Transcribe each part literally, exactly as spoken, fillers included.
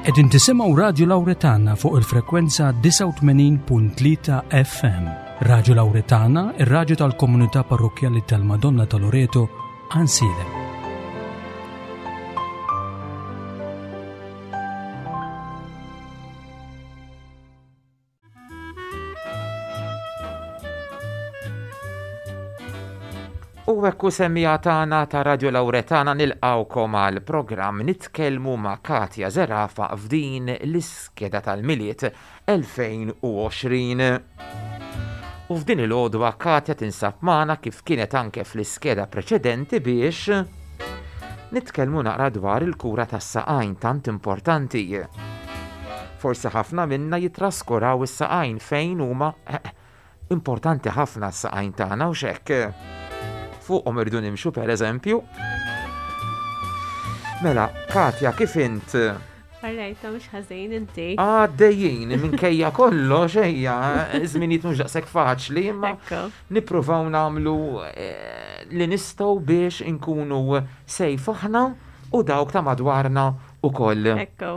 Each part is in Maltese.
Qegħdin tisimgħu Radio Lauretana fuq il-frekwenza disgħa u tmenin punt tlieta F M. Radio Lauretana, ir-radju tal-komunità parrokkjali tal-Madonna ta' Loreto, Għajnsielem. U hekk semmija tagħna ta' Radio Lauretana nilqgħukom għal programm Nitkellmu ma' Katja Zerafa f'din l-iskeda tal-Milied elfejn u għoxrin. U f'din il-għodwa Katja tinsab magħna kif kienet anke fl-iskeda preċedenti biex nitkellmu naqra dwar il-kura tas-saqajn tant importanti. Forsi ħafna minna jitraskuraw is-saqajn fejn huma importanti ħafna s-saqajn tagħna u x'hekk. Fuqhom irdu nimxu pereżempju. Mela, Katja, kif int? Alright, mhux ħażin inti. Għaddejjin, minkejja kollox, ejja, żminijiet mhux daqshekk faċli, imma Ekku. nippruvaw nagħmlu, eh, li nistgħu biex inkunu sejf aħna u dawk ta' madwarna ukoll. Ekku.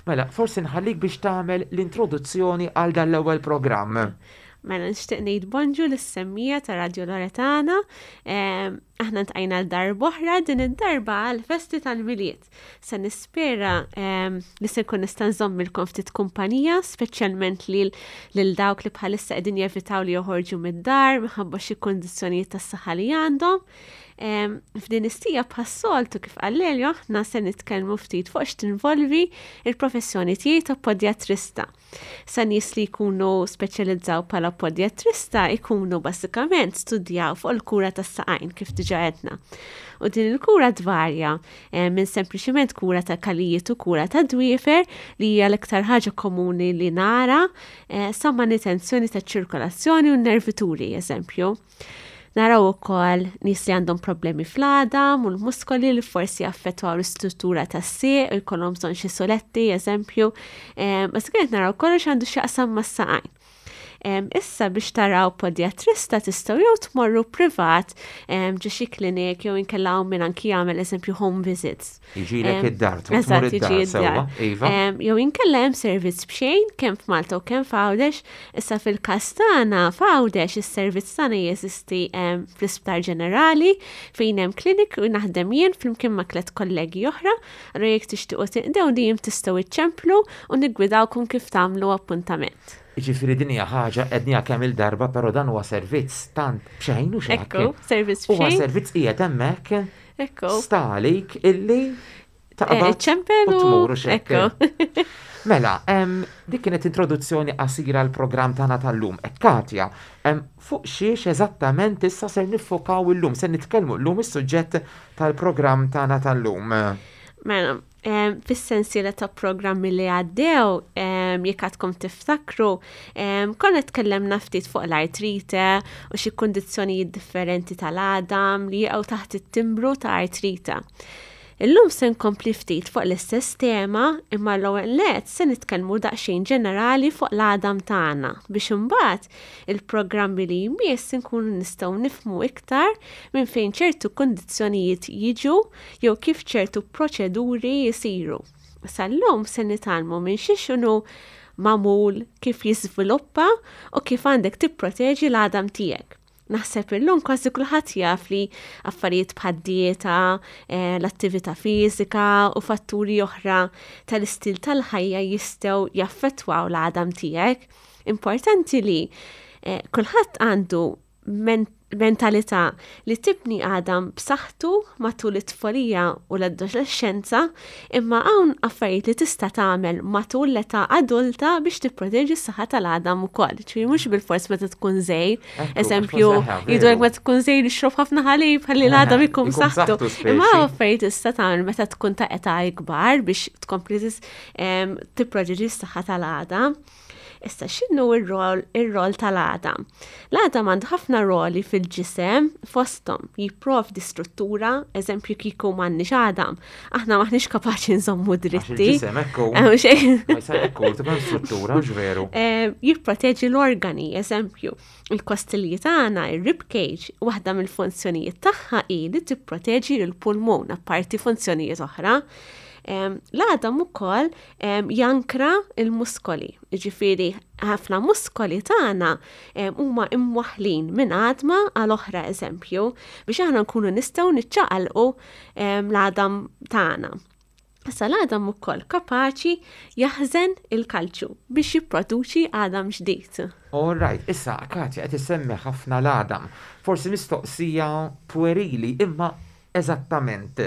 Mela, forsi nħallik biex tagħmel l-introduzzjoni għal dan l-ewwel programm. Mela, nixtieq ngħid bonġu lis-semmija ta' Radio Loretana. Ehm, aħna ntqajna l-darba oħra din id-darba għall-festi tal-Milied. Se nispera, ehm, li se nkun nista' nżommilkom ftit kumpanija, speċjalment lil, lil dawk li bħalissa qegħdin jevitaw li joħorġu mid-dar minħabba xi kundizzjonijiet tas-saħħa li għandhom. Ehm, f'din istija bħas-soltu kif qal Lelio, aħna se nitkellmu ftit fuq x'tinvolvi il-professjoni tiegħi ta' podjatrista. Sa nies li jkunu speċjalizzaw bħala podjatrista jkunu basikament studjaw fuq il-kura tas-saqajn kif diġà għedna. U din il-kura tvarja, eh, minn sempliċiment kura ta' kalijiet u kura ta' dwiefer li hija l-iktar ħaġa komuni li nara, eh, sa manutenzjoni ta' ċirkolazzjoni u nervituri, eżempju. Naraw ukoll nies li għandhom problemi fl-għadam u l-muskoli li forsi jaffettwaw l-istruttura tas-sieq u jkollhom bżonn xi soletti, eżempju. Ehm, basikament naraw kollox għandu x'jaqsam mas-saqajn. Ehm, issa biex taraw podjatrista tistgħu jew tmorru privat, ehm, ġo xi klinik jew inkella hawn min anki jagħmel eżempju home visits. Jiġilek Ehm, id-dar, tmur eżatt, id-dar, jiġi sewwa, id-dar. iva. Ehm, jew inkella hemm servizz b'xejn kemm f'Malta u kemm f'Għawdex. Issa fil-każ tagħna f'Għawdex is-servizz tagħna jeżisti, ehm, fl-Isptar Ġenerali fejn hemm klinik u naħdem jien flimkien ma' tliet kollegi oħra. Allura jekk tixtiequ tinqdew dejjem tistgħu iċċemplu u niggwidawkom kif tagħmlu appuntament. Jiġifieri din hija ħaġa qedniha kemm il-darba, però dan huwa servizz tant b'xejn u x'hekk. Ekku, servizz Huwa b'xejn. servizz qiegħed hemmhekk. Ekku. Sta għalik illi taqbad Eh, ċempel u u tmur u x'hekk. Ekku. Mela, em, dik kienet introduzzjoni qasira għall programm tagħna tal-lum. E Katja, em, fuq xiex eżattament issa ser niffokaw illum, ser nitkellmu llum is-suġġett tal-programm tagħna tal-lum. Mela, em, fis-sensiela ta' programmi li għaddew, em, jekk għadkom tiftakru, em, konna tkellemna ftit fuq l-artrite u xi kundizzjonijiet differenti tal-għadam li jaqgħu taħt it-timbru ta' artrite. Illum se nkompli ftit fuq l-istess tema, imma l-ewwel nett se nitkellmu daqsxejn ġenerali fuq l-għadam tagħna biex imbagħad il-programmi li jmiss inkunu nistgħu nifhmu iktar minn fejn ċertu kundizzjonijiet jiġu jew kif ċertu proċeduri jisiru. Sal-lum se nitgħallmu minn xi x'inhu magħmul, kif jiżviluppa u kif għandek tipproteġi l-għadam tiegħek. Naħseb illum kważi kulħadd jaf li affarijiet bħad-dieta, eh, l-attività fiżika u fatturi oħra tal-istil tal-ħajja jistgħu jaffettwaw l-għadam tiegħek. Importanti li, eh, kulħadd għandu men-, mentalità li tibni għadam b'saħħtu matul it-tfulija u l-adolescenza, imma hawn affarijiet li tista' tagħmel matul l-età adulta biex tipproteġi s-saħħa tal-għadam ukoll. Ġifieri mhux bilfors meta tkun żgħir, Ekku, għax eżempju, forsi ħa, jgħidulek veru. meta tkun żgħir ixrob ħafna ħalib ħalli l-għadam Eħe, ikun ikun b'saħħtu. b'saħħtu speċi. Imma hawn affarijiet tista' tagħmel meta tkun ta' età ikbar biex tkompli tis-, em, tipproteġi s-saħħa tal-għadam. Issa, x'inhu r-rol, ir-rol tal-għadam? L-għadam għandu ħafna roli fil-ġisem fosthom jipprovdi struttura, eżempju kieku m'għandniex għadam, aħna maħniex kapaċi nżommu Għax dritti. il-ġisem, ekku. Eh, mhux hekk. Ma jista' ekku, tibqa' struttura, mhux veru. Eh, jipproteġi l-organi, eżempju, il-kostilji tagħna, ir-rib cage, waħda mill-funzjonijiet tagħha hi li tipproteġi l-pulmun, apparti funzjonijiet oħra. L-għadam ukoll jankra il-muskoli. Ġifieri ħafna muskoli tagħna huma imwaħlin minn għadma għal oħra, eżempju, biex aħna nkunu nistgħu niċċaqalqu l-għadam tagħna. Issa l-għadam ukoll kapaċi jaħżen il-kalċju biex jipproduċi għadam ġdid. All right, issa Katja, qed issemmi ħafna l-għadam. Forsi mistoqsija puerili, imma eżattament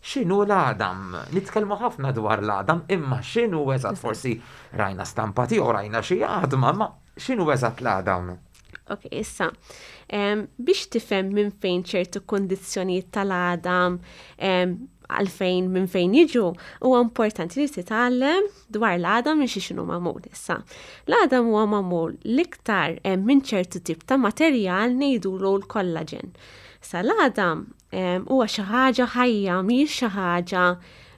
x'inhu l-għadam? Nitkellmu ħafna dwar l-għadam, imma x'inhu eżatt? Forsi rajna stampa tiegħu, rajna xi għadma, ma x'inhu eżatt l-għadam? Ok, issa, biex tifhem minn fejn ċertu kondizzjonijiet tal-għadam, għalfejn minn fejn jiġu, huwa importanti li titgħallem dwar l-għadam minn xi x'inhu magħmul issa. L-għadam huwa magħmul l-iktar minn ċertu tip ta' materjal ngħidulu l-kollaġen. Sa l-għadam huwa xi ħaġa ħajja, mhijiex xi ħaġa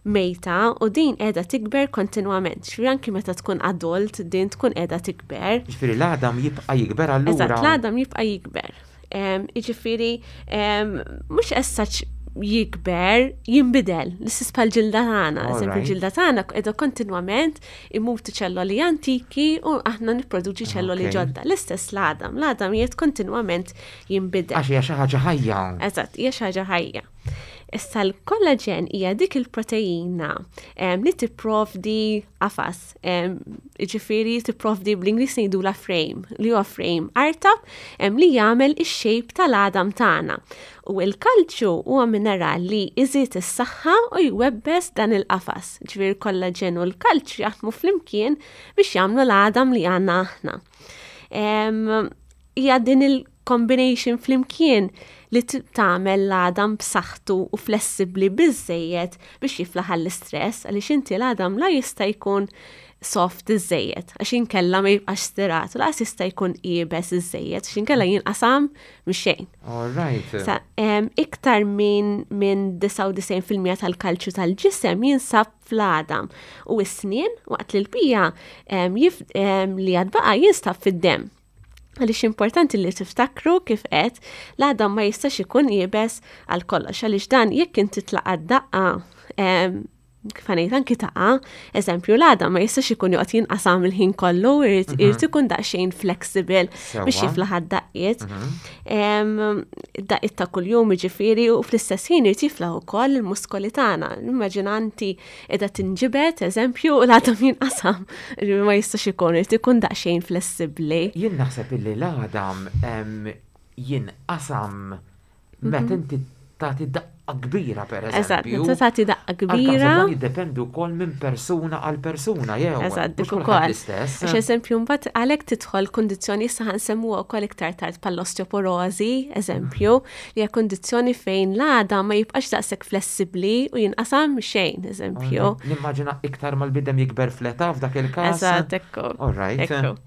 mejta, u din qiegħda tikber kontinwament. Ġifieri anki meta tkun adult din tkun qiegħda tikber. Ġifieri l-għadam jibqa' jikber allura. Eżatt, l-għadam jibqa' jikber. Jiġifieri mhux as such jikber, jinbidel, l-istess bħal ġilda tagħna. Eżempju, ġilda tagħna qiegħda kontinwament imutu ċelloli antiki u aħna nipproduċi ċelloli ġodda. L-istess l-għadam, l-għadam qiegħed kontinwament jinbidel. Għax hija xi ħaġa ħajja. Eżatt, hija xi ħaġa ħajja. Issa l-kollaġen hija dik il-proteina li tipprovdi qafas, jiġifieri tipprovdi, bl-Ingliż ngħidula frame, li huwa frame artab li jagħmel ix-shape tal-għadam tagħna. U l-kalċju huwa mineral li iżid is-saħħa u jwebbes dan il-qafas. Ġifieri l-kollaġen u l-kalċju jaħdmu flimkien biex jagħmlu l-għadam li għandna aħna. Hija din il-combination flimkien li tagħmel l-għadam b'saħħtu u flessibbli biżejjed biex jiflaħ għall-istress, għaliex inti l-għadam la jista' jkun soft iżejjed, għax inkella ma jibqax stirat, u lanqas jista' jkun iebes iżejjed, għax inkella jinqasam mix-xejn. All right. Sa, iktar minn min disgħa u disgħin fil-mija tal-kalċju tal-ġisem jinsab fl-għadam u s-snien, waqt li l-bqija li għad baqa' jinstab fid-demm. Għaliex importanti li tiftakru kif qed l-għadam ma jistax ikun iebes għal kollox, għaliex dan jekk inti tlaqa' daqqa, kif ngħid, anki taqa', eżempju, l-għadam ma jistax ikun joqgħod jinqasam il-ħin kollu, irid irid ikun daqsxejn flexible biex jiflaħ għad-daqqiet. Daqqiet ta' kuljum jiġifieri, u fl-istess ħin irid jiflaħ ukoll il-muskoli tagħna. Immaġina inti qiegħda tinġibed, eżempju, u l-għadam jinqasam. Ma jistax ikun, irid ikun daqsxejn flessibbli. Jien naħseb illi l-għadam jinqasam meta inti tagħti daqqa kbira, per Eżatt, eżempju. meta tagħti daqqa kbira. Dan jiddependi wkoll minn persuna għal persuna, jew. Eżatt, dik mhux kulħadd ukoll. l-istess. Għax eżempju, mbagħad għalhekk tidħol kundizzjoni, issa ħa nsemmuha wkoll iktar tard, bħall-osteoporosi, eżempju, li hija kundizzjoni fejn l-għadam ma jibqax daqshekk flessibbli u jinqasam xejn, eżempju. Nimmaġina iktar mal-bniedem jikber fl-età f'dak il-każ. Eżatt, ekku. All right. Ekku.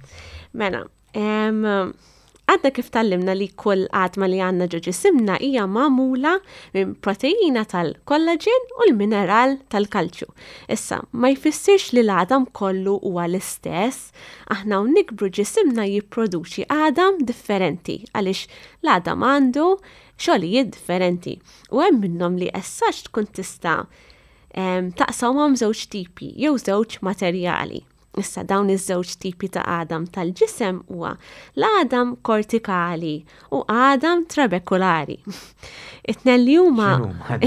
Mela, em, għadna kif tgħallimna li kull għadma li għandna ġo ġisimna hija magħmula minn proteina tal-kollaġen u l-mineral tal-kalċju. Issa, ma jfissirx li l-għadam kollu huwa l-istess, aħna u nikbru ġisimna jipproduċi għadam differenti, għaliex l-għadam għandu xogħlijiet differenti. U hemm minnhom li essax tkun tista' em, taqsamhom żewġ tipi jew żewġ materjali. Issa dawn iż-żewġ tipi ta' għadam tal-ġisem huwa l-għadam kortikali u għadam trabekulari. It-tnejn li huma X'inhuma dawn?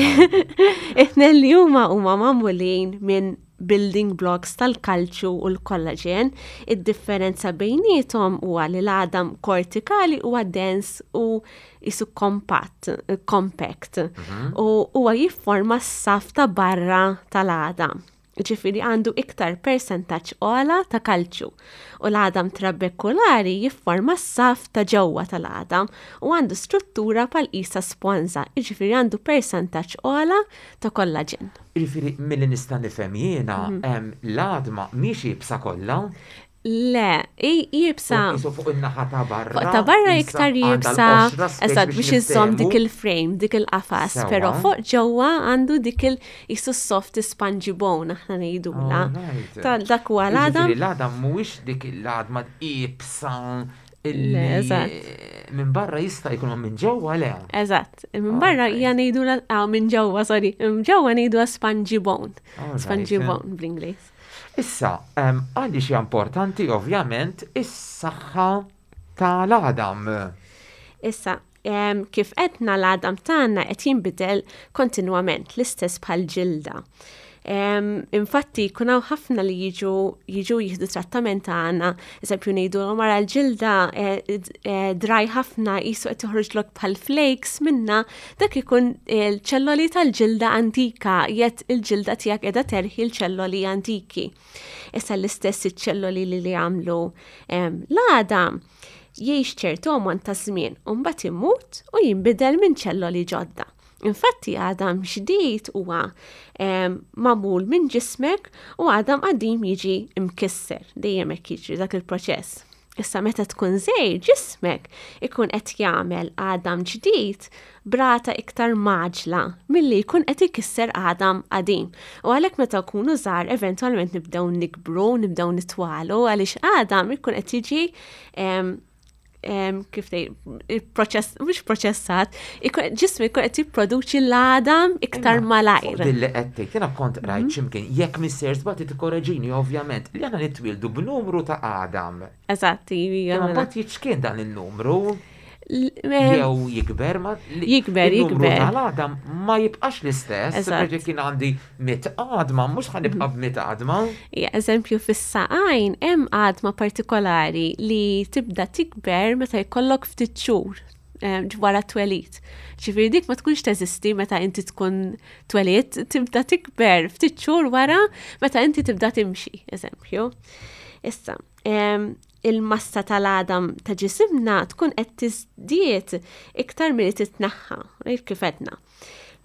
it-tnejn li huma huma magħmulin minn building blocks tal-kalċju u l-kollaġen. Id-differenza bejniethom huwa li l-għadam kortikali huwa dens u jisu compact, compact u huwa jifforma s-saf ta' barra tal-għadam. Ġifieri għandu iktar percentaġġ ogħla ta' kalċju. U l-għadam trabekulari jifforma s-saf ta' ġewwa tal-għadam u għandu struttura bħal qisha sponża, ġifieri għandu percentaġġ ogħla ta' kollaġen. Jiġifieri milli nista' nifhem jiena, em, l-għadma mhix iebsa kollha. Le, iebsa. Qisu fuq in-naħa ta' barra. Fuq ta' barra qisha iktar għandha iebsa, l-qoxra speċi eżatt, biex iżżomm dik niftehmu. il-frame, dik il-qafas, Sewwa. però fuq ġewwa għandu dik il jisu soft spongy bone, aħna ngħidula. Alright. Ta' dak huwa l-għadam. Jiġifieri l-għadam mhuwiex dik l-għadma iebsa Illi Eżatt. minn barra jista' jkun minn ġewwa le. Eżatt. Minn barra Okay. hija ngħidu ah, minn ġewwa, sorry, minn ġewwa ngħidu spongy bone. Alright. Spongy bone bl-Ingliż. Issa, em, għaliex hija importanti ovvjament is-saħħa tal-għadam. Issa, em, kif għedna l-għadam tagħna qed jinbidel kontinwament l-istess bħal ġilda. Um, infatti, jkun hawn ħafna li jiġu jiġu jieħdu trattament tagħna, eżempju ngħidu mara l-ġilda eh, eh, dry ħafna qisu qed toħroġlok bħal flakes minna, dak ikun il-ċelloli tal-ġilda antika, jett il-ġilda tiegħek qiegħda terħi l-ċelloli antiki. Issa l-istess iċ-ċelloli li li għamlu em, l-għadam jgħix ċertu ammont ta' żmien u mbagħad imut u jinbidel minn ċelloli ġodda. Infatti għadam ġdid huwa em, magħmul minn ġismek u għadam qadim jiġi imkisser, dejjem hekk jiġri dak il-proċess. Issa meta tkun żgħir ġismek ikun qed jagħmel għadam ġdid b'rata iktar mgħaġġla milli jkun qed ikisser għadam qadim. U għalhekk meta nkunu żgħar eventwalment nibdew nikbru, nibdew nitwalu għaliex għadam ikun qed jiġi em, em, kif tgħid, il-proċess, mhux proċessat, ikun- ġismu jkun qed jipproduċi l-għadam iktar malajr. Fuq Dilli qed tgħid, jiena kont rajt x'imkien, jekk mister żbati tikkoreġini ovvjament, li aħna nitwieldu b'numru ta' għadam. Eżatt, hija Imma mela. mbagħad jiċkien dan il-numru L- em, jew jikber ma li- Jikber, il-numru jikber. tal-għadam ma jibqax l-istess. Eżatt. Perché kien għandi mitt għadma, mhux ħa nibqa' b'mitt għadma. Ja, eżempju fis-saqajn hemm għadma partikolari li tibda tikber meta jkollok ftit xhur em, wara twelid. Ġifieri dik ma tkunx teżisti meta inti tkun twelid, tibda tikber ftit xhur wara meta inti tibda timxi, eżempju. Issa, em, il-massa tal-għadam ta' ġisimna tkun qed tiżdied iktar milli titnaħħa, rejt kif għedna.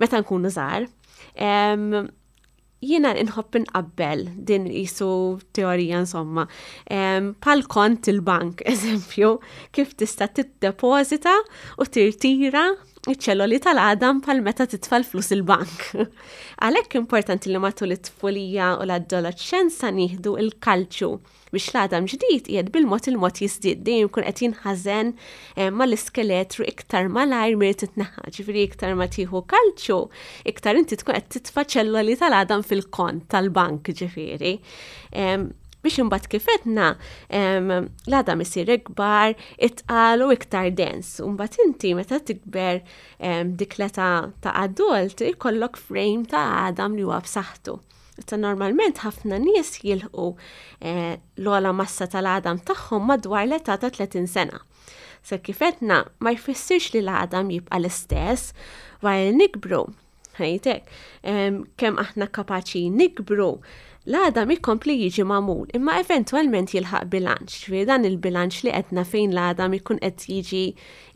Meta nkunu żgħar. Em, Jiena inħobb inqabbel din qisu teorija insomma. Um, bħal kont il-bank, eżempju, kif tista' tiddepożita u tirtira iċ-ċelloli tal-għadam bħal meta titfa' l-flus il-bank. Għalhekk importanti li matul it-tfulija u l-adolescenza nieħdu il-kalċju biex l-għadam ġdid qiegħed bil-mod il-mod jiżdied dejjem jkun qed jinħażen eh, mal-iskeletru iktar malajr milli titneħħa. Ġifieri iktar ma tieħu kalċju, iktar inti tkun qed titfa' ċelloli tal-għadam fil-kont tal-bank ġifieri. Em, biex imbagħad kif għedna em, l-għadam isir ikbar, itqal u iktar dens. U mbagħad inti meta tikber em, dik l-età ta' adult ikollok frame ta' għadam li huwa b'saħħtu. Issa normalment ħafna nies jilħqu eh, l-ogħla massa tal-għadam tagħhom madwar l-età ta' tletin sena. Sa kif għedna ma jfissirx li l-għadam jibqa' l-istess wara li nikbru. Ħajtek, em, kemm aħna kapaċi nikbru, l-għadam ikompli jiġi magħmul, imma eventwalment jilħaq bilanċ. Ġifieri dan il-bilanċ li għedna fejn l-għadam ikun qed jiġi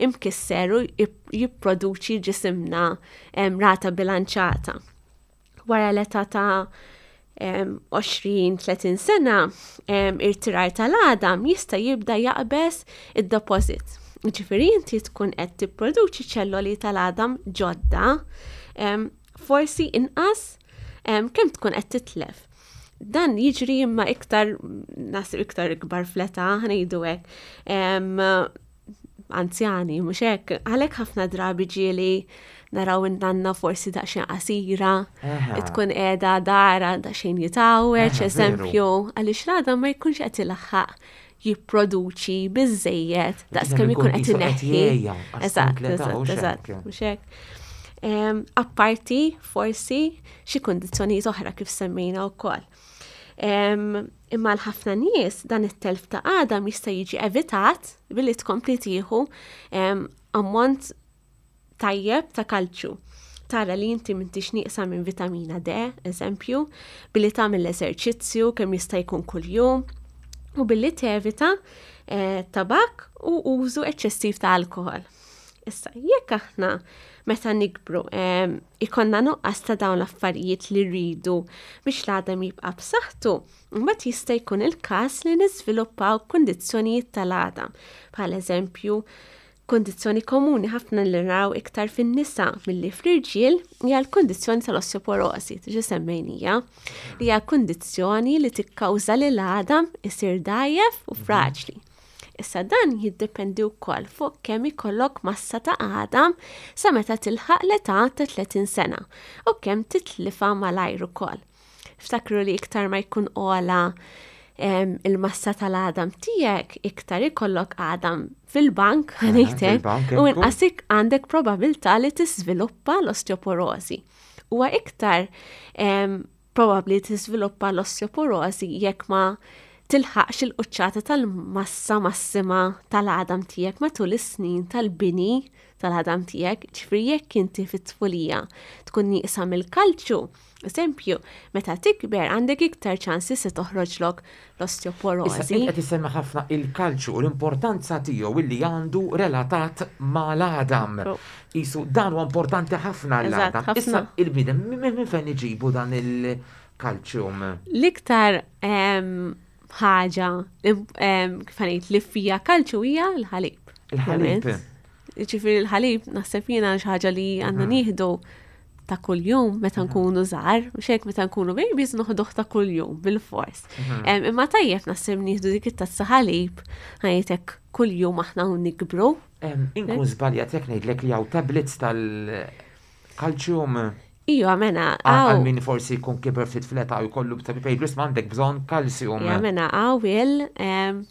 imkisser u jip- jipproduċi ġisimna em, rata bilanċata. Wara l-età ta' em, għoxrin tletin sena, em, irtirar tal-għadam jista' jibda jaqbeż id-deposit. Ġifieri inti tkun qed tipproduċi ċelloli tal-għadam ġodda, em, forsi inqas em, kemm tkun qed titlef. Dan jiġri imma iktar, nasib iktar ikbar fl-età, ħa ngħidu hekk. Em, anzjani, mhux hekk, għalhekk ħafna drabi ġieli naraw in-nanna forsi daqsxejn qasira, Eħe. tkun qiegħda dara daqsxejn jitgħawweġ, Eħe, eżempju, għaliex l-għadam ma jkunx qed ilaħħaq jipproduċi biżejjed daqs kemm ikun qed qisu qed ineħħi. jgħejja, għax Eżatt, skont l-età, eżatt, hux eżatt, hekk. mhux hekk. Em, Apparti forsi xi kundizzjonijiet oħra kif semmejna wkoll. Em, Imma l-ħafna nies dan it-telf ta' għadam jista' jiġi evitat billi tkompli tieħu em, ammont tajjeb ta' kalċju. Tara li inti m'intix nieqsa minn vitamina D, eżempju, billi tagħmel l-eżerċizzju kemm jista' jkun kuljum u billi tevita eh, tabak u użu eċċessiv ta' alkohol. Issa, jekk aħna meta nikbru em, ikollna nuqqas ta' dawn l-affarijiet li rridu biex l-għadam jibqa' b'saħħtu, mbagħad jista' jkun il-każ li niżviluppaw kundizzjonijiet tal-għadam, bħal eżempju kundizzjoni komuni ħafna li naraw iktar fin-nisa milli fl-irġiel hija l-kundizzjoni tal-osteoporosi, diġà semmejnija, li hija kundizzjoni li tikkawża li l-għadam isir dgħajjef u fraġli. Issa dan jiddependi wkoll fuq kemm ikollok massa ta' għadam sa meta tilħaq l-età ta' tletin sena u kemm titlifha malajr ukoll. Ftakru li iktar ma jkun ogħla em, il-massa tal-għadam tiegħek, iktar ikollok għadam fil-bank, Aha, ngħidlek, fil-bank, u ekku. inqas għandek probabilità li tiżviluppa l-osteoporosi. Huwa iktar em, probabbli tiżviluppa l-osteoporosi jekk ma tilħaqx il-quċċata tal-massa massima tal-għadam tiegħek matul is-snin tal-bini tal-għadam tiegħek, ġifieri jekk inti fit-tfulija tkun nieqsa mill-kalċju, eżempju, meta tikber għandek iktar ċansi se toħroġlok Issa, l-osteoporosi. int qed isemmi ħafna il-kalċju u l-importanza tiegħu illi għandu relatat mal-għadam. Oh. Isu dan huwa importanti ħafna Eżatt, l-għadam. ħafna. Issa il-bniedem minn minn fejn iġibu dan il-kalċjum? L-iktar em, ħaġa em, kif ngħid li fija kalċju hija l-ħalib. Il-ħalib. Ovvjament. Ġifieri l-ħalib naħseb jiena xi ħaġa li għandna nieħdu ta' kuljum meta nkunu żgħar, mhux hekk meta nkunu babies noħduh ta' kuljum bil-fors. Em, Imma tajjeb naħseb nieħdu dik it-tazza ħalib ħajtek kuljum aħna u nikbru. Em, Inkun żbaljat jekk ngħidlek li hawn tablets tal-kalċjum Iva mena, għal għaw. min forsi jkun kiber ftit fl-età u jkollu b'tabib isma' għandek bżonn kalsjum. Ija mena għaw il em,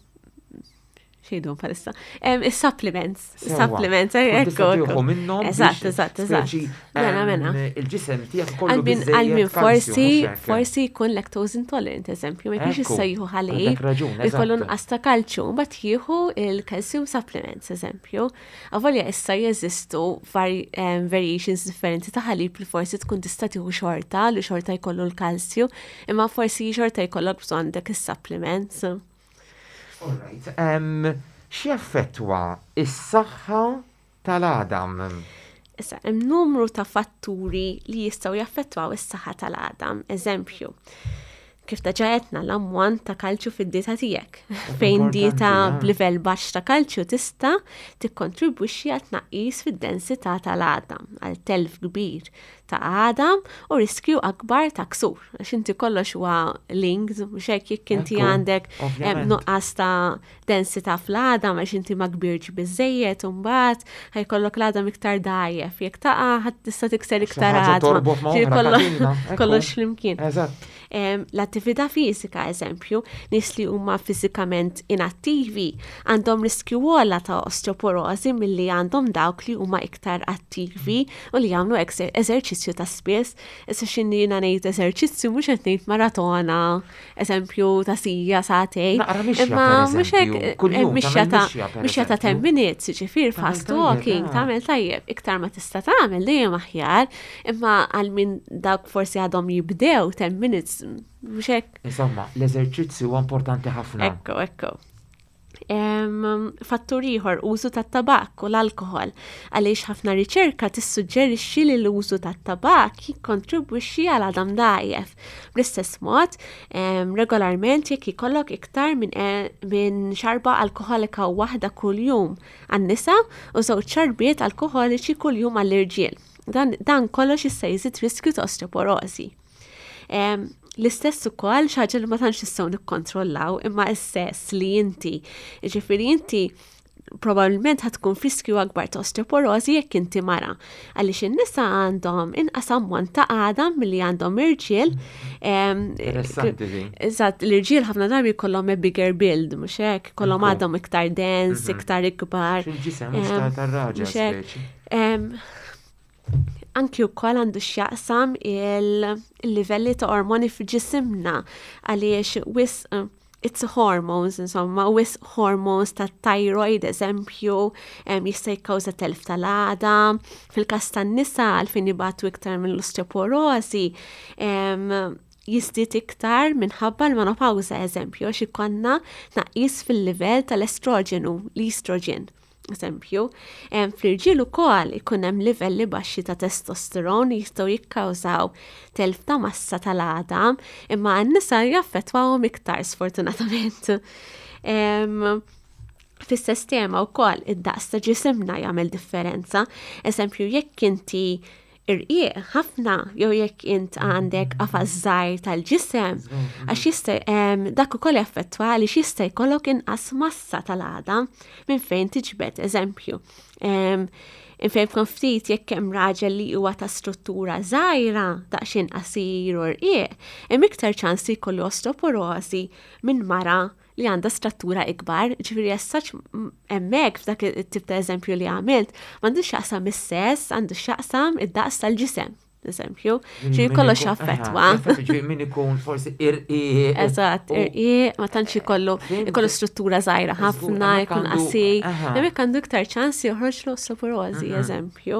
xejdu palissa. Em, Is-supplements. Sewwa. Supplements, Tkun ekku. tista' tieħu ekku. minnhom Eżatt, biex eżatt, eżatt. speċi, Mena, em, mena. Il-ġisem tiegħek kollu Għal min biżżejjed għal min kalsju, forsi mhux hekk? forsi jkun lactose intolerant, eżempju, ma jkunx Ekku, issa jieħu ħalib, għandek raġun, jkollu eżatt. nqas ta' kalċju, mbagħad jieħu il-calcium supplements, eżempju. Avolja issa jeżistu vari- em, variations differenti ta' ħalib li forsi tkun tista' tieħu xorta, li xorta jkollu l-kalsju, imma forsi xorta jkollok bżonn dak is-supplements. All right. Em, X'jaffettwa is-saħħa tal-għadam? Issa, hemm numru ta' fatturi li jistgħu jaffettwaw is-saħħa tal-għadam. Eżempju, kif diġà għedna l-ammont ta' kalċju fid-dieta tiegħek. Fejn Importanti, dieta ah. b'livell baxx ta' kalċju tista' tikkontribwixxi għal tnaqqis fid-densità tal-għadam, għal telf kbir ta' għadam u riskju akbar ta' ksur. Għax inti kollox huwa linked, mhux hekk jekk inti Ekku, għandek em, ovvjament. nuqqas ta' densità fl-għadam għax inti ma kbirx biżejjed u mbagħad ħa jkollok l-għadam iktar dgħajjef. Jekk taqa' ħadd tista' tikser iktar ħaġa għadma. torbot ma' Ġifieri oħra, kollox- katina, ekku. Kollox flimkien. Eżatt. Em, L-attività fiżika, eżempju, nies li huma fiżikament inattivi għandhom riskju ogħla ta' osteoporosi milli għandhom dawk li huma iktar attivi u li jagħmlu eżer- eżerċizzju ta' spiss. Issa x'inhi jiena ngħid eżerċizzju mhux qed ngħid maratona, eżempju ta' siegħa sagħtejn. Naqra mixja, Imma per mhux hekk eżempju. eh, Kuljum mixja tagħmel ta' mixja, per mixja ta' ten eżempju. minutes, ġifier Tagħmel fast tajjeb, walking, ah. tagħmel tajjeb, iktar ma tista' tagħmel dejjem aħjar, imma għal min dawk forsi għadhom jibdew ten minutes, mhux hekk. Insomma, l-eżerċizzju huwa importanti ħafna. Ekku, ekku. Em, Fattur ieħor użu tat-tabak u l-alkoħol għaliex ħafna riċerka tissuġġerixxi li l-użu tat-tabak jikkontribwixxi għal għadam dgħajjef. Bl-istess mod, em, regolarment jekk ikollok iktar minn e- minn xarba alkoħolika waħda kuljum għan-nisa u żewġ xarbiet alkoħoliċi kuljum għall-irġiel. Dan, dan kollox jista' jżid riskju ta' osteoporosi. Em, L-istess ukoll xi ħaġa li ma tantx nistgħu nikkontrollaw imma s-sess li inti. Ġifieri inti probabbilment ħa tkun f'riskju akbar ta' osteoporosi jekk inti mara. Għaliex in-nisa għandhom inqas ammont ta' għadam milli għandhom irġiel. Em, Interessanti din. Eżatt, l-irġiel ħafna drabi jkollhom a bigger build, mhux hekk, kollhom Ekku. għadhom iktar dens, iktar ikbar. Fil-ġisem mhux Em, ta' tar-raġel mhux hekk. speċi. Em, Anki wkoll għandu x'jaqsam il- il-livelli ta' ormoni f'ġisimna għaliex wisq eh, it's hormones, insomma, wisq hormones ta' thyroid, eżempju, em, jista' jikkawża telf tal-għadam, fil-każ tan-nisa għalfejn ibatu iktar mill-osteoporosi, em, jiżdied iktar minħabba l-menopawża, eżempju, għax ikollna tnaqqis fil-livell tal-estroġenu, l-estrogen. Eżempju, em, fl-irġiel ukoll ikun hemm livelli baxxi ta' testosteron li jistgħu jikkawżaw telf ta' massa tal-għadam, imma għan-nisa jaffettwawhom iktar sfortunatament. Em, Fis-sistema wkoll id-daqs ta' ġisimna jagħmel differenza. Eżempju, jekk inti irqiq ħafna jew jekk int għandek qafas żgħir tal-ġisem, għax jista' dak ukoll jaffettwa għaliex jista' jkollok inqas massa tal-għadam minn fejn tiġbed, eżempju. Infejn ftit jekk hemm raġel li huwa ta' struttura żgħira, daqsxejn qasir u rqiq, hemm iktar ċans li jkollu osteoporosi minn mara li għandha struttura ikbar, ġifieri as such hemmhekk f'dak it-tip ta' eżempju li għamilt, m'għandux x'jaqsam is-sess, għandu x'jaqsam id-daqs tal-ġisem, eżempju, ġifieri kollox jaffettwa. Min ikun forsi irqiq. Eżatt, irqiq, ma tantx ikollu ikollu struttura żgħira ħafna, jkun qasir, hemmhekk għandu iktar ċans joħroġ l-osteoporosi, eżempju.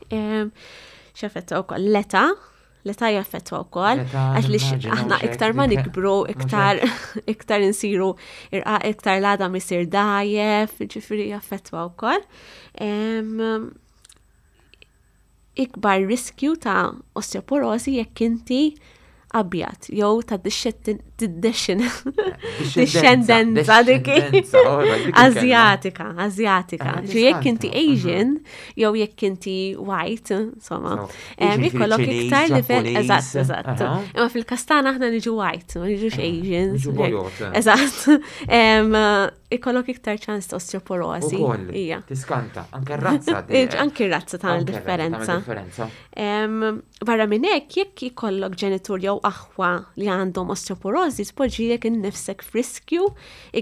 X'jaffettwa wkoll l-età, l-età jaffettwa wkoll, għax li aħna iktar ma nikbru, iktar iktar insiru iktar l-għadam isir dgħajjef, ġifieri jaffettwa wkoll. Ikbar riskju ta' osteoporosi jekk inti abjad jew ta' dixxendenza dik Azjatika, Azjatika. Ġi jekk inti Asian jew jekk inti white, insomma, ikollok iktar livell, eżatt, eżatt. Imma fil-każ tagħna aħna niġu white, ma niġux Asians. Eżatt. Ikollok iktar ċans ta' osteoporosi. Ija. Tiskanta, anke r-razza. Anke r-razza tagħmel differenza. Barra minn hekk, jekk ikollok ġenitur jew aħwa li għandhom osteoporosi, tpoġġilek innifsek f'riskju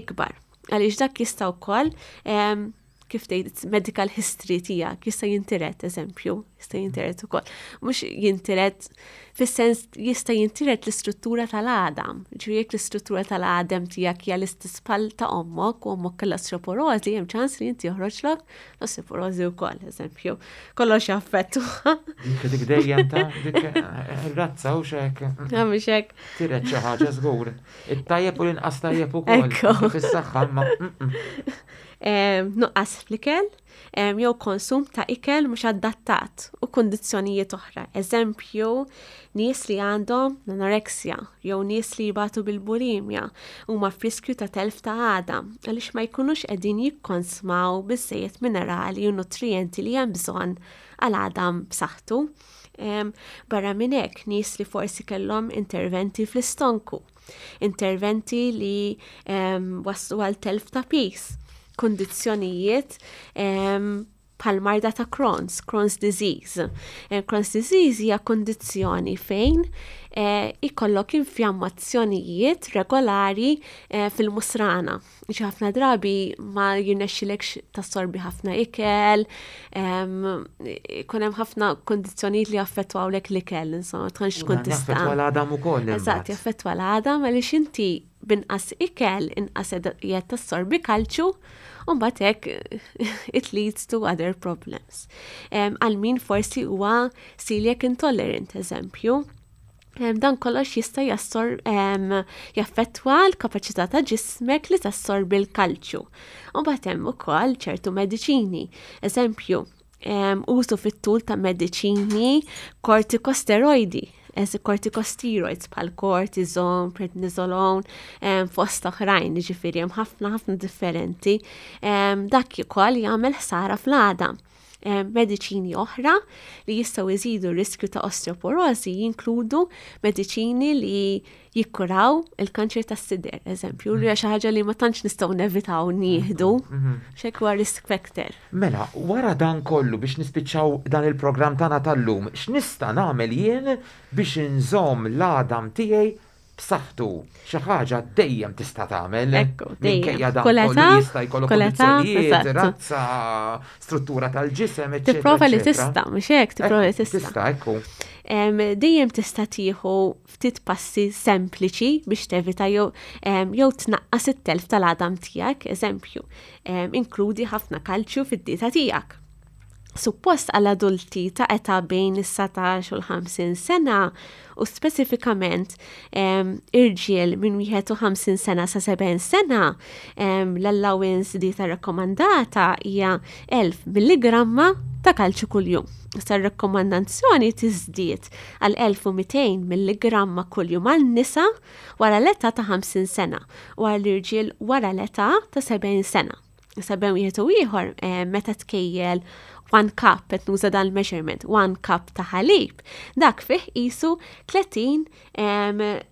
ikbar. Għaliex dak jista' wkoll kif tgħid medical history tiegħek jista' jintiret, eżempju, jista' jintiret ukoll. Mhux jintiret fis-sens jista' jintiret l-istruttura tal-għadam. Ġifieri jekk l-istruttura tal-għadam tiegħek hija l-istess bħal ta' ommok u ommok kellha osteoporosi, hemm ċans li inti joħroġlok l-osteoporosi wkoll, eżempju. Kollox jaffettwa. Dik dik dejjem ta' dik ir-razza u xek. Mhux hekk. Tiret xi ħaġa żgur. It-tajjeb u l-inqas tajjeb ukoll. Fis-saħħa ma. Nuqqas fl-ikel, jew konsum ta' ikel mhux adattat u kundizzjonijiet oħra. Eżempju, nies li għandhom l-anoreksja jew nies li jibatu bil-bulimja huma f'riskju ta' telf ta' għadam għaliex ma jkunux qegħdin jikkonsmaw biżżejjed minerali u nutrijenti li hemm bżonn għal għadam b'saħħtu. Barra minn hekk, nies li forsi kellhom interventi fl-istonku, interventi li waslu għal telf ta' piż, kundizzjonijiet bħal marda ta' Crohn's, Crohn's disease. Crohn's disease hija kundizzjoni fejn ikollok infjammazzjonijiet regolari fil-musrana. Ġi ħafna drabi ma jirnexxilekx tassorbi ħafna ikel, ikun hemm ħafna kundizzjonijiet li jaffettwawlek l-ikel, insomma, tantx tkun tista'. Jaffettwa l-għadam ukoll. Eżatt, jaffettwa l-għadam għaliex inti binqas ikel, inqas qiegħed tassorbi kalċju, u mbagħad hekk it leads to other problems. Għal min forsi huwa celiac intolerant, eżempju. Dan kollox jista' jassor jaffettwa l-kapaċità ta' ġismek li tassorbi l-kalċju. U mbagħad hemm ukoll ċertu mediċini. Eżempju, użu fit-tul ta' mediċini kortikosteroidi, eż kortikosteroids bħal cortisone, prednisolone, fost oħrajn, ġifieri hemm ħafna ħafna differenti. Dak ukoll jagħmel ħsara fl-għadam. Mediċini oħra li jistgħu jżidu r-riskju ta' osteoporosi jinkludu mediċini li jikkuraw il-kanċer tas-sider, eżempju, li hija xi ħaġa li ma tantx nistgħu nevitaw nieħdu, x'hekk huwa risk factor. Mela, wara dan kollu biex nispiċċaw dan il-programm tagħna tal-lum, x'nista' nagħmel jien biex inżomm l-għadam tiegħi b'saħħtu? Xi ħaġa dejjem tista' tagħmel. Ekku, dejjem. Minkejja dan Kull kollu età, jista' jkollok kull età, kundizzjonijiet, eżatt. razza, struttura tal-ġisem, eċċetera, Tipprova li eċċetera. tista', mhux hekk, tipprova li Ekku, tista'. Tista', ekku. Em, dejjem tista' tieħu ftit passi sempliċi biex tevita jew, em, jew tnaqqas it-telf tal-għadam tiegħek, eżempju, em, inkludi ħafna kalċju fid-dieta tiegħek. Suppost għal adulti ta' età bejn is-satax u l-ħamsin sena u speċifikament, em, irġiel minn wieħed u ħamsin sena sa sebgħin sena, em, l-allowance dieta rakkomandata hija elf milligramma ta' kalċju kuljum. Issa r-rakkomandazzjoni tiżdied għal elf u mitejn milligramma kuljum għal nisa wara l-età ta' ħamsin sena u għal irġiel wara l-età ta' sebgħin sena. Issa bejn wieħed u ieħor, eh, meta tkejjel One cup, qed nuża dan il-measurement, one cup ta' ħalib, dak fih qisu tletin,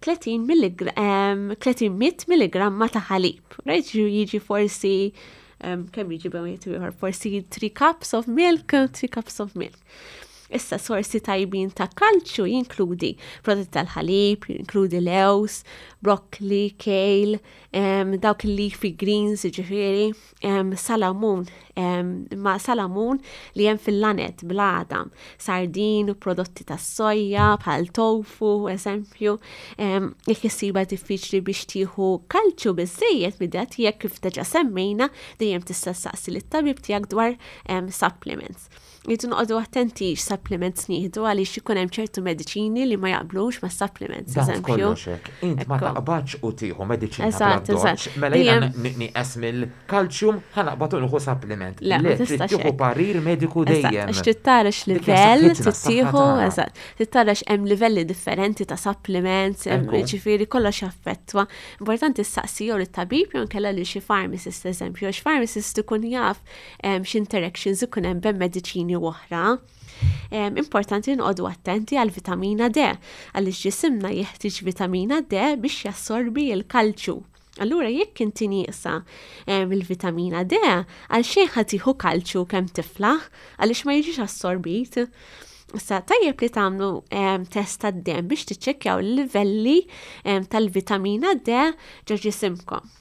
tletin tletin mitt milligramma ta' ħalib. Right? Jiġi forsi, kemm jiġi bejn ieħor, forsi three cups of milk, three cups of milk. Issa sorsi tajbin ta' kalċju jinkludi prodotti tal-ħalib, jinkludi lewż, broccoli, kale, um, dawk il-leafy greens, ġifieri, um, salamun, um, ma salamun li hemm fil-laned bl-għadam, sardin u prodotti tas-soja bħal tofu, eżempju, um, jekk issibha diffiċli biex tieħu kalċju biżejjed mid-dieta tiegħek, kif diġà semmejna, dejjem tista' ssaqsi lit-tabib tiegħek dwar um, supplements. Irridu noqogħdu attenti x'supplements nieħdu, għaliex ikun hemm ċertu mediċini li ma jaqblux ma' supplements, Dan eżempju. kollox hekk. Int ma Ekku. taqbadx u tieħu mediċina Eżatt, bla eżatt. doċ. Mela jiena Dejjem- nieqes mill-kalċjum, ħa naqbad u nieħu supplement. Le, ma Le, trid tistax tieħu hekk. parir mediku Eżatt, dejjem. għax trid tara Dik hija x'livell saħħitna, s-saħħa tittieħu, tagħna. eżatt, trid tara x'hemm livelli differenti ta' supplements, hemm- Ekku. ġifieri kollox jaffettwa. Importanti ssaqsi jew lit-tabib jew inkella lil xi pharmacist, eżempju, għax pharmacist ikun jaf em, x'interactions ikun hemm bejn mediċini u oħra. Em, importanti nqogħdu attenti għal vitamina D, għaliex ġisimna jeħtieġ vitamina D biex jassorbi l-kalċju. Allura jekk inti nieqsa em, il-vitamina D, għal xejn ħa tieħu kalċju kemm tiflaħ, għaliex ma jiġix assorbit. Issa tajjeb li tagħmlu em, test tad-demm biex tiċċekkjaw il-livelli em, tal-vitamina D ġo ġisimkom.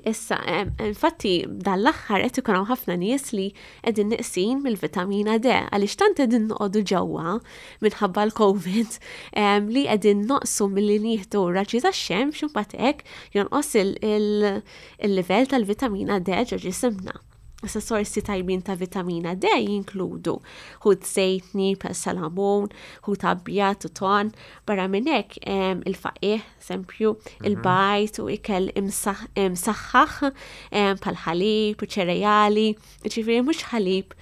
Issa, em, infatti, dan l-aħħar qed ikun hawn ħafna nies li qegħdin neqsin mill-vitamina D, għaliex tant qegħdin noqogħdu ġewwa minħabba l-COVID em, li qegħdin noqsu milli nieħdu raġġi tax-xemx u mbagħad hekk jonqos il- il- il-livell tal-vitamina D ġo ġisimna. Issa sorsi tajbin ta' vitamina D jinkludu ħut żejtni, bħal salamun, ħut abjad u ton, barra minn hekk em, il-faqih, eżempju, il-bajd u ikel imsaħ- imsaħħaħ em, bħal ħalib u ċereali, ġifieri mhux ħalib,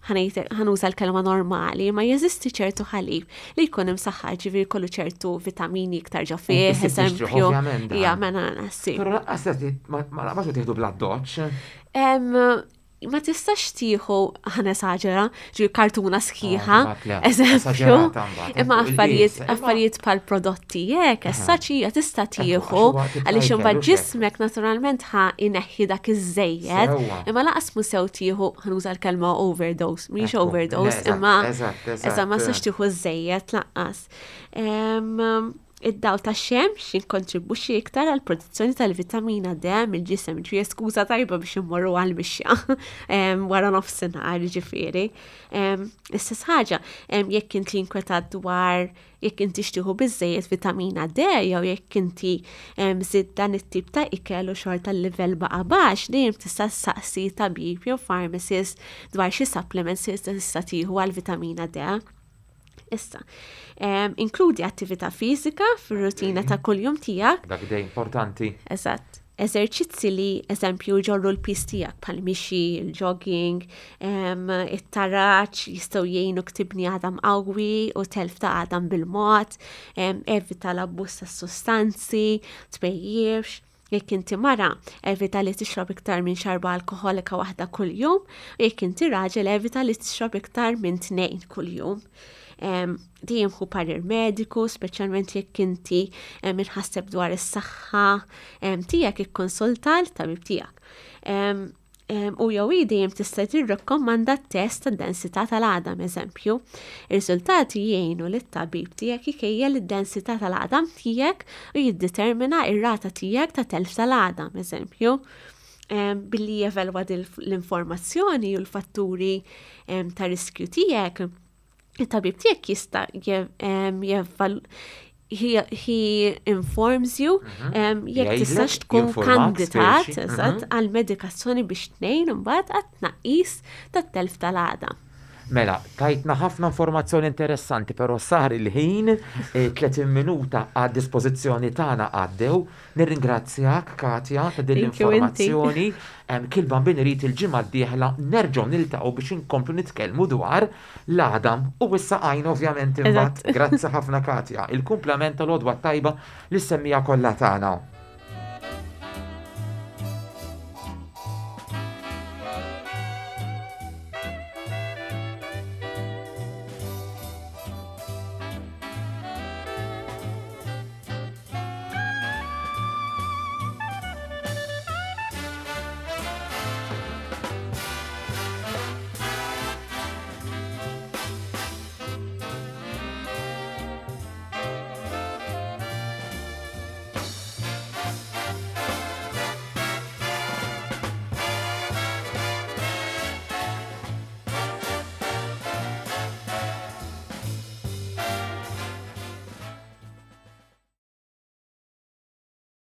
ħa nuża l-kelma normali, ma jeżisti ċertu ħalib li jkun imsaħħaħ, ġifieri kollu ċertu vitamini iktar ġo fih, Inti tixtrih, eżempju. ovvjament, dan. Ija, mela nassi. Però lanqas ma ma naqbadx u tieħdu bla doċ. Em, ma tistax tieħu, ħa nesaġera, ġi kartuna sħiħa, Ah, le, eżempju, esaġerata mbagħad, imma il-qies, affarijiet imma- affarijiet bħal prodotti jekk, essaċija tista' tieħu, għax huwa tip għaliex ta' imbagħad ikel, ġismek naturalment ħa ineħħi dak iż-żejjed, Sewwa. imma lanqas mhu sew tieħu, ħa nuża l-kelma overdose, mhix Ekku, overdose, le, eżatt, imma eżatt, eżatt. eżatt, ma tistax tieħu żejjed lanqas. Em, Id-dawl ta' xemx jinkontribwixxi iktar għal produzzjoni tal-vitamina D mill-ġisem, ġifieri skuża tajba biex immorru għal mixja em, wara nofsinhar, ġifieri. Em, L-istess ħaġa, em, jekk inti inkwetat dwar jekk inti tieħu biżejjed vitamina D jew jekk inti em, żidt dan it-tip ta' ikel u xorta l-livell baqa' baxx, dejjem tista' ssaqsi tabib jew pharmacist dwar xi supplements li tista' tieħu għal vitamina D. Issa, em, inkludi attività fiżika fir-rutina ta' kuljum tiegħek. Dak dej importanti. Eżatt. Eżerċizzi li, eżempju, ġorru l-piż tiegħek bħal mixi, il-jogging, em, it-taraċ, jistgħu jgħinu tibni għadam qawwi u telf ta' għadam bil-mod, em, evita l-abbuż ta' sostanzi, tpejjipx. Jekk inti mara, evita li tixrob iktar minn xarba alkoholika waħda kuljum, u jekk inti raġel, evita li tixrob iktar minn tnejn kuljum. Em, Dejjem ħu parir mediku, speċjalment jekk inti em, imħasseb dwar is-saħħa em, tiegħek, ikkonsulta l-tabib tiegħek. Em, em, U jew hi dejjem tista' tirrakkomanda test tad-densità tal-għadam, eżempju. Ir-riżultati jgħinu lit-tabib tiegħek ikejjel id-densità tal-għadam tiegħek u jiddetermina ir-rata tiegħek ta' telf tal-għadam, eżempju. Em, Billi jevalwa dil- l-informazzjoni u l-fatturi em, ta' riskju tiegħek, il-tabib tiegħek jista' je- em, jeval he, he informs you em, jekk Jgħidlek, tistax tkun jinformak, kandidat, speċi. eżatt, għal medikazzjoni biex tnejn imbagħad għat-tnaqqis tat-telf tal-għadam. Mela, tajtna ħafna informazzjoni interessanti, però sar il-ħin, eh, tletin minuta għad dispożizzjoni tagħna għaddew. Nirringrazzjak, Katja, ta' din Thank you, inti. l-informazzjoni. Em, Kil-bambin irid il-ġimgħa d-dieħla nerġgħu niltaqgħu biex inkomplu nitkellmu dwar l-għadam u s-saqajn ovvjament imbagħad. Eżatt. Grazzi ħafna, Katja. Il-kumplament tal-għodwa tajba lis-semmiegħa kollha tagħna.